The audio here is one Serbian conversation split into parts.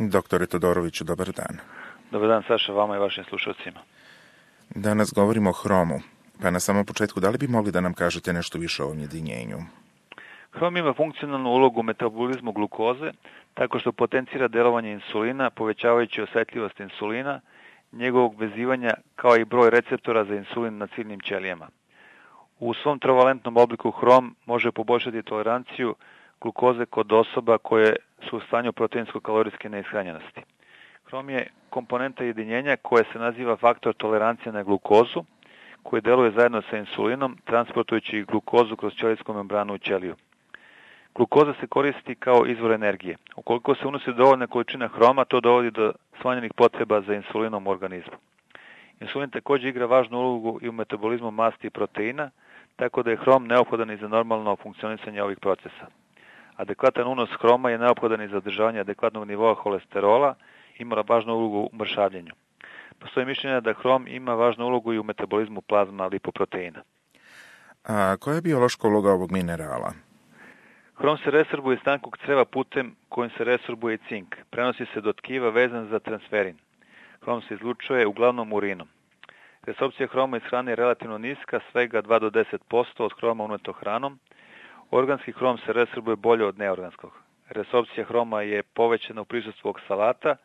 Doktore Todoroviću, dobar dan. Dobar dan, Saša, vama i vašim slušalcima. Danas govorimo o hromu, pa na samom početku da li bi mogli da nam kažete nešto više o ovom jedinjenju? Hrom ima funkcionalnu ulogu u metabolizmu glukoze, tako što potencira delovanje insulina, povećavajući osetljivost insulina, njegovog vezivanja kao i broj receptora za insulin na ciljnim ćelijama. U svom trovalentnom obliku hrom može poboljšati toleranciju glukoze kod osoba koje su u stanju proteinsko-kalorijske neishranjenosti. Hrom je komponenta jedinjenja koja se naziva faktor tolerancije na glukozu, koji deluje zajedno sa insulinom, transportujući glukozu kroz ćelijsku membranu u ćeliju. Glukoza se koristi kao izvor energije. Ukoliko se unosi dovoljna količina hroma, to dovodi do smanjenih potreba za insulinom u organizmu. Insulin također igra važnu ulogu i u metabolizmu masti i proteina, tako da je hrom neophodan i za normalno funkcionisanje ovih procesa. Adekvatan unos hroma je neophodan i za održavanje adekvatnog nivoa holesterola, ima važnu ulogu u mršavljenju. Postoji mišljenje da hrom ima važnu ulogu i u metabolizmu plazma lipoproteina. A koja je biološka uloga ovog minerala? Hrom se resorbuje iz tankog creva putem kojim se resorbuje i cink. Prenosi se do tkiva vezan za transferin. Hrom se izlučuje uglavnom urinom. Resorpcija hroma iz hrane je relativno niska, svega 2 do 10% od hroma uneto hranom. Organski hrom se resorbuje bolje od neorganskog. Resorpcija hroma je povećana u prisustvu oksalata,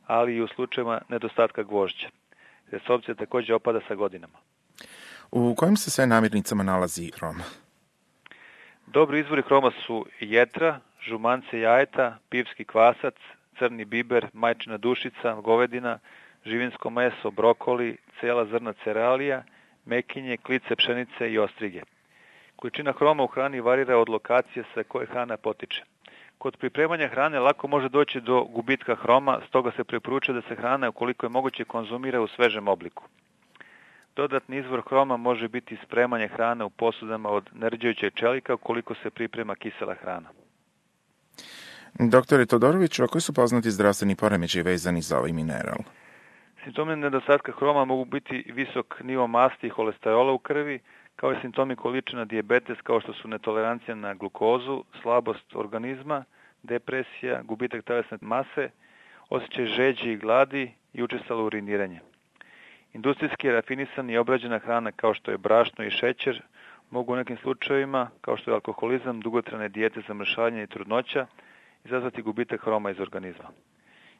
ali i u slučajevima nedostatka gvožđa. Resorpcija također opada sa godinama. U kojim se sve namirnicama nalazi hrom? Dobri izvori hroma su jetra, žumance jajeta, pivski kvasac, crni biber, majčina dušica, govedina, živinsko meso, brokoli, cela zrna cerealija, mekinje, klice pšenice i ostrige. Količina hroma u hrani varira od lokacije sa koje hrana potiče. Kod pripremanja hrane lako može doći do gubitka hroma, stoga se preporučuje da se hrana ukoliko je moguće konzumira u svežem obliku. Dodatni izvor hroma može biti spremanje hrane u posudama od nerđajućeg čelika ukoliko se priprema kisela hrana. Doktore Todoroviću, a koji su poznati zdravstveni poremećaji vezani za ovaj mineral? Simptomi nedostatka hroma mogu biti visok nivo masti i holesterola u krvi, kao i simptomi količina dijabetes kao što su netolerancija na glukozu, slabost organizma, depresija, gubitak telesne mase, osjećaj žeđi i gladi i učestalo uriniranje. Industrijski rafinisana i obrađena hrana kao što je brašno i šećer mogu u nekim slučajevima, kao što je alkoholizam, dugotrajne dijete za mršavljenje i trudnoća, izazvati gubitak hroma iz organizma.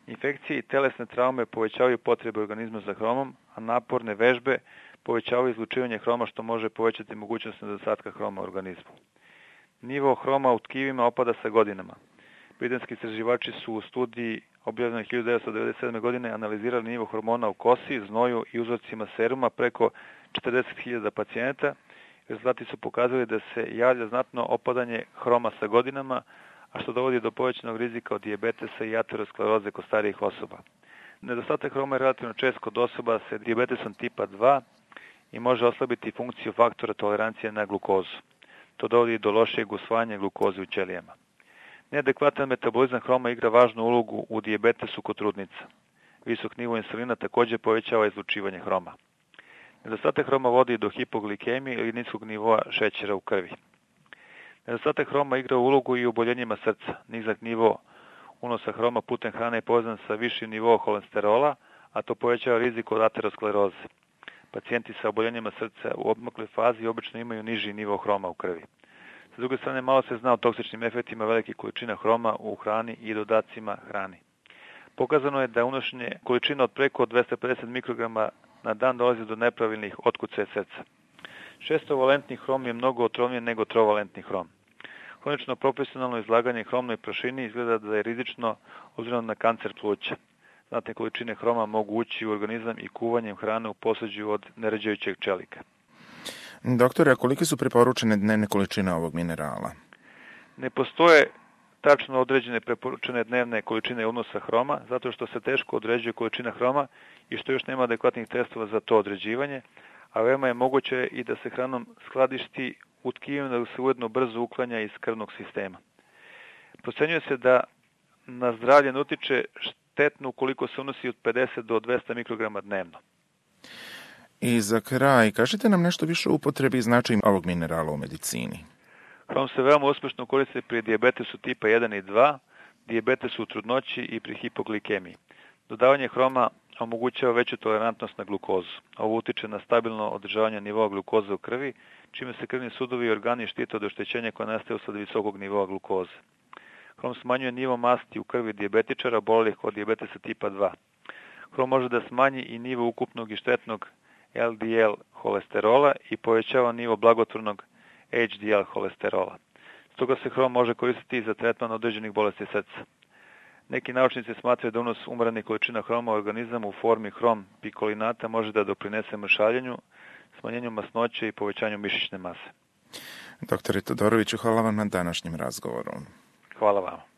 Infekcije i telesne traume povećavaju potrebe organizma za hromom, a naporne vežbe povećavaju izlučivanje hroma što može povećati mogućnost nedostatka hroma u organizmu. Nivo hroma u tkivima opada sa godinama. Britanski istraživači su u studiji objavljenoj 1997. godine analizirali nivo hormona u kosi, znoju i uzorcima seruma preko 40.000 pacijenata. Rezultati su pokazali da se javlja znatno opadanje hroma sa godinama, a što dovodi do povećanog rizika od dijabetesa i ateroskleroze kod starijih osoba. Nedostatak hroma je relativno čest kod osoba sa dijabetesom tipa 2 i može oslabiti funkciju faktora tolerancije na glukozu. To dovodi do lošijeg usvajanja glukoze u ćelijama. Neadekvatan metabolizam hroma igra važnu ulogu u dijabetesu kod trudnica. Visok nivo insulina također povećava izlučivanje hroma. Nedostatak hroma vodi do hipoglikemije ili niskog nivoa šećera u krvi. Nedostatak hroma igra ulogu i u oboljenjima srca. Nizak nivo unosa hroma putem hrane je povezan sa višim nivoom holesterola, a to povećava rizik od ateroskleroze. Pacijenti sa oboljenjima srca u odmakloj fazi obično imaju niži nivo hroma u krvi. S druge strane, malo se zna o toksičnim efektima velike količina hroma u hrani i dodacima hrani. Pokazano je da unošenje količina od preko 250 mikrograma na dan dolazi do nepravilnih otkucaja srca. Šestovalentni hrom je mnogo otrovniji nego trovalentni hrom. Hronično profesionalno izlaganje hromnoj prašini izgleda da je rizično obzirom na kancer pluća. Znatne količine hroma mogu ući u organizam i kuvanjem hrane u posuđu od nerđajućeg čelika. Doktore, a kolike su preporučene dnevne količine ovog minerala? Ne postoje tačno određene preporučene dnevne količine unosa hroma, zato što se teško određuje količina hroma i što još nema adekvatnih testova za to određivanje, a veoma je moguće i da se hranom skladišti u tkivima da se ujedno brzo uklanja iz krvnog sistema. Procenjuje se da na zdravlje ne utiče štetno ukoliko se unosi od 50 do 200 mikrograma dnevno. I za kraj, kažite nam nešto više o upotrebi i značaju ovog minerala u medicini. Hrom se veoma uspješno koristi pri dijabetesu tipa 1 i 2, dijabetesu u trudnoći i pri hipoglikemiji. Dodavanje hroma omogućava veću tolerantnost na glukozu. Ovo utiče na stabilno održavanje nivoa glukoze u krvi, čime se krvni sudovi i organi štite od oštećenja koje nastaje usled visokog nivoa glukoze. Hrom smanjuje nivo masti u krvi dijabetičara obolelih od dijabetesa tipa 2. Hrom može da smanji i nivo ukupnog i štetnog LDL holesterola i povećava nivo blagotvornog HDL holesterola. Stoga se hrom može koristiti i za tretman određenih bolesti srca. Neki naučnici smatraju da unos umeranih količina hroma u organizam u formi hrom pikolinata može da doprinese mršavljenju, smanjenju masnoće i povećanju mišićne mase. Doktore Todoroviću, hvala vam na današnjem razgovoru. Hvala vam.